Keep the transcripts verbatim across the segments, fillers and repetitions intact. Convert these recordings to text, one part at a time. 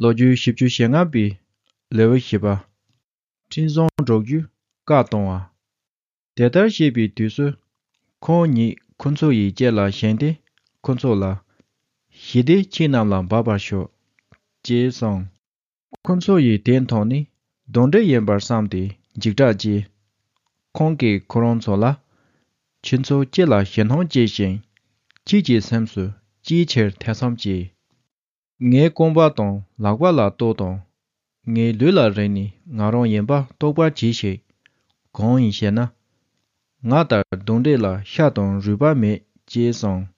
ལོ་རྒྱུས་བཞི་བཅུ་ཞེ་ལྔ་པའི་ལེའུ་བཞི་པ། འཕྲིན་བཟང་སྒྲོག་རྒྱུའི་བཀའ་གཏོང་བ། དེ་ལྟར་བཤད་པའི་དུས་སུ། ཁོང་ཉིད་ཁོ་ཚོ་ཡི་སྐེ་ལ་བཞེངས་ཏེ། ཁོ་ཚོ་ལ། ཞི་བདེ་ཁྱེད་རྣམས་ལ་འབབ་པར་ཤོག་ཅེས་གསུངས། ཁོ་ཚོ་ཡིས་དེ་མཐོང་ནས་གདོན་འདྲེ་ཡིན་པར་བསམས་ཏེ་འཇིགས་སྐྲག་སྐྱེས། ཁོང་གིས་ཁོ་རང་ཚོ་ལ། ཁྱེད་ཚོ་ཅི་ལ་ཞེད་སྣང་སྐྱེ་ཞིང་། ཁྱེད་ཀྱི་སེམས་སུ་ཅིའི་ཕྱིར་ཐེ་ཚོམ་སྐྱེས། ངའི་རྐང་པ་དང་ལག་པ་ལ་ལྟོས་དང་། ངའི་ལུས་ལ་རེག་ནས་ང་རང་ཡིན་པ་རྟོགས་པར་གྱིས་ཤིག་གང་ཡིན་ཞེ་ན། ང་ལྟར་གདོན་འདྲེ་ལ་ཤ་དང་རུས་པ་མེད་ཅེས་གསུངས།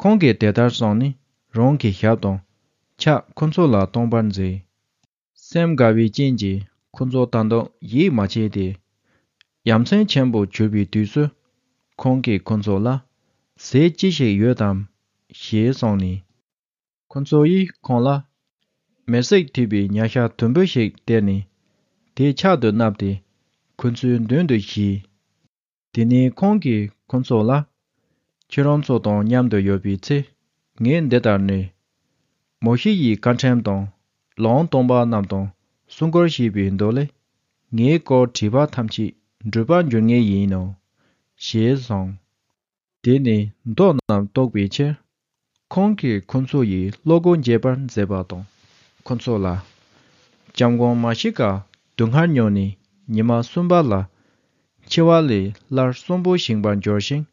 ཁོང་གིས་དེ་ལྟར་གསུངས་ནས་རང་གི་ཞབས་དང་ཕྱག་ཁོ་ཚོ་ལ་སྟོན་པར་མཛད། སེམས་དགའ་བའི་རྐྱེན་གྱིས་ཁོ་ཚོ་ད་དུང་ཡིད་མ་ཆེས་ཏེ། ཡ་མཚན་ཆེན་པོ་གྱུར་པའི་དུས་སུ། ཁོང་གིས་ཁོ་ཚོ་ལ། ཟས་ཅི་ཞིག་ཡོད་དམ། ཞེས་གསུངས་ནས། ཁོ་ཚོ་ཡིས་ཁོང་ལ། མེར་སྲེག་ཐེབས་པའི་ཉ་ཤ་དུམ་བུ་ཞིག་སྟེར་ནས། དེ་ཕྱག་ཏུ་བསྣམས་ཏེ། ཁོ་ཚོའི་མདུན་དུ་བཞེས། དེ་ནས་ཁོང་གིས་ཁོ་ཚོ་ལ། ཁྱེད་རང་ཚོ་དང་མཉམ་དུ་ཡོད་པའི་ཚེ། ངས་འདི་ལྟར་ནས། མོ་ཤེ་ཡི་བཀའ་ཁྲིམས་དང་། ལུང་སྟོན་པ་རྣམས་དང་། གསུང་མགུར་ཞེས་པའི་མདོ་ལས། ངའི་སྐོར་བྲིས་པ་ཐམས་ཅད་འགྲུབ་པར་འགྱུར་ངེས་ཡིན་ནོ། ཞེས་གསུངས། དེ་ནས་མདོ་རྣམས་རྟོགས་པའི་ཕྱིར། ཁོང་གིས་ཁོ་ཚོ་ཡི་བློ་སྒོ་འབྱེད་པར་མཛད་པ་དང་། ཁོ་ཚོ་ལ། སྐྱབས་མགོན་མཱ་ཤི་ཀ་སྡུག་བསྔལ་མྱོང་ནས་ཉི་མ་གསུམ་པ་ལ། འཆི་བ་ལས་སླར་གསོན་པོ་བཞེངས་པར་འགྱུར་ཞིང་།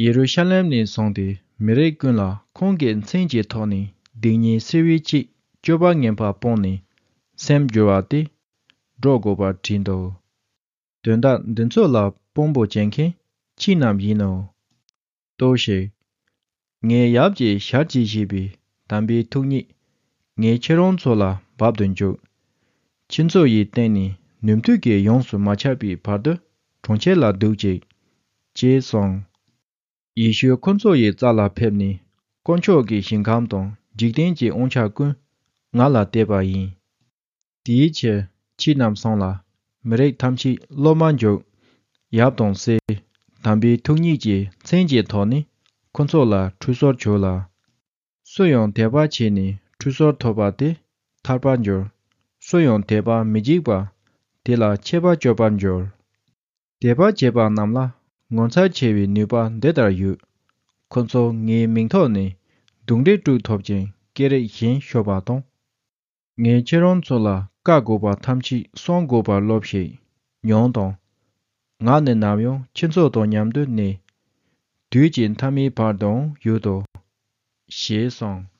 ཡེ་རུ་ཤ་ལེམ་ནས་བཟུང་སྟེ་མི་རིགས་ཀུན་ལ་ཁོང་གི་མཚན་གྱི་ཐོག་ནས་སྡིག་ཉེས་སེལ་བའི་ཆེད་སྤྱོད་པ་ངན་པ་སྤངས་ནས་སེམས་བསྒྱུར་བ་དེ་སྒྲོག་དགོས་པར་བྲིས་འདུག་དོན་དག་འདི་ཚོ་ལ་དཔང་པོ་བྱེད་མཁན་ཁྱེད་རྣམས་ཡིན་ནོ། ལྟོས་ཤིག་ངའི་ཡབ་ཀྱི་ཞལ་གྱིས་བཞེས་པའི་དམ་པའི་ཐུགས་ཉིད་ངས་ཁྱེད་རང་ཚོ་ལ་འབབ་ཏུ་འཇུག་ཁྱེད་ཚོ་ཡི་སྟེང་ནས་ནུས་མཐུ་གིས་ཡོངས་སུ་མ་ཆགས་པའི་བར་དུ་གྲོང་ཁྱེར་ལ་འདུག་ཅིག་ཅེས་གསུངས། ཡེ་ཤུ་ཁོ་ཚོ་ཡི་རྩ་ལ་ཕེབས་ནས། དཀོན་མཆོག་གི་ཞིང་ཁམས་དང་འཇིག་རྟེན་གྱི་དབང་ཆ་ཀུན་ང་ལ་གཏད་པ་ཡིན། དེའི་ཕྱིར་ཁྱེད་རྣམས་སོང་ལ། མི་རིགས་ཐམས་ཅད་སློབ་མར་འཇུག་ཡབ་དང་སྲས་དམ་པའི་ཐུགས་ཉིད་ཀྱི་མཚན་གྱི་ཐོག་ནས་ཁོ་ཚོ་ལ་ཁྲུས་གསོལ་བྱོས་ལ། སུ་ཡང་དད་པ་བྱས་ནས་ཁྲུས་གསོལ་ཐོབ་པ་དེ་ཐར་པར་འགྱུར། སུ་ཡང་དད་པ་མི་བྱེད་པ་དེ་ལ་ཆད་པ་གཅོད་པར་འགྱུར། དད་པ་བྱེད་པ་རྣམས་ལ་ངོ་མཚར་ཆེ་བའི་ནུས་པ་འདི་ལྟར་ཡོད། ཁོ་ཚོ་ངའི་མིང་ཐོག་ནས་གདུང་འདྲེ་དཀྲུག་ཐུབ་ཅིང་སྐད་རིགས་གཞན་ཤོད་པ་དང་། ངས་ཁྱེད་རང་ཚོ་ལ་བཀའ་བསྒོ་བ་ཐམས་ཅད་སྲུང་དགོས་པར་སློབས་ཤིག་ཉོན་དང་། ང་ནི་ནམ་ཡང་ཁྱེད་ཚོ་དང་མཉམ་དུ་གནས། དུས་ཀྱི་མཐའ་མའི་བར་དུའང་ཡོད་དོ། ཞེས་གསུངས།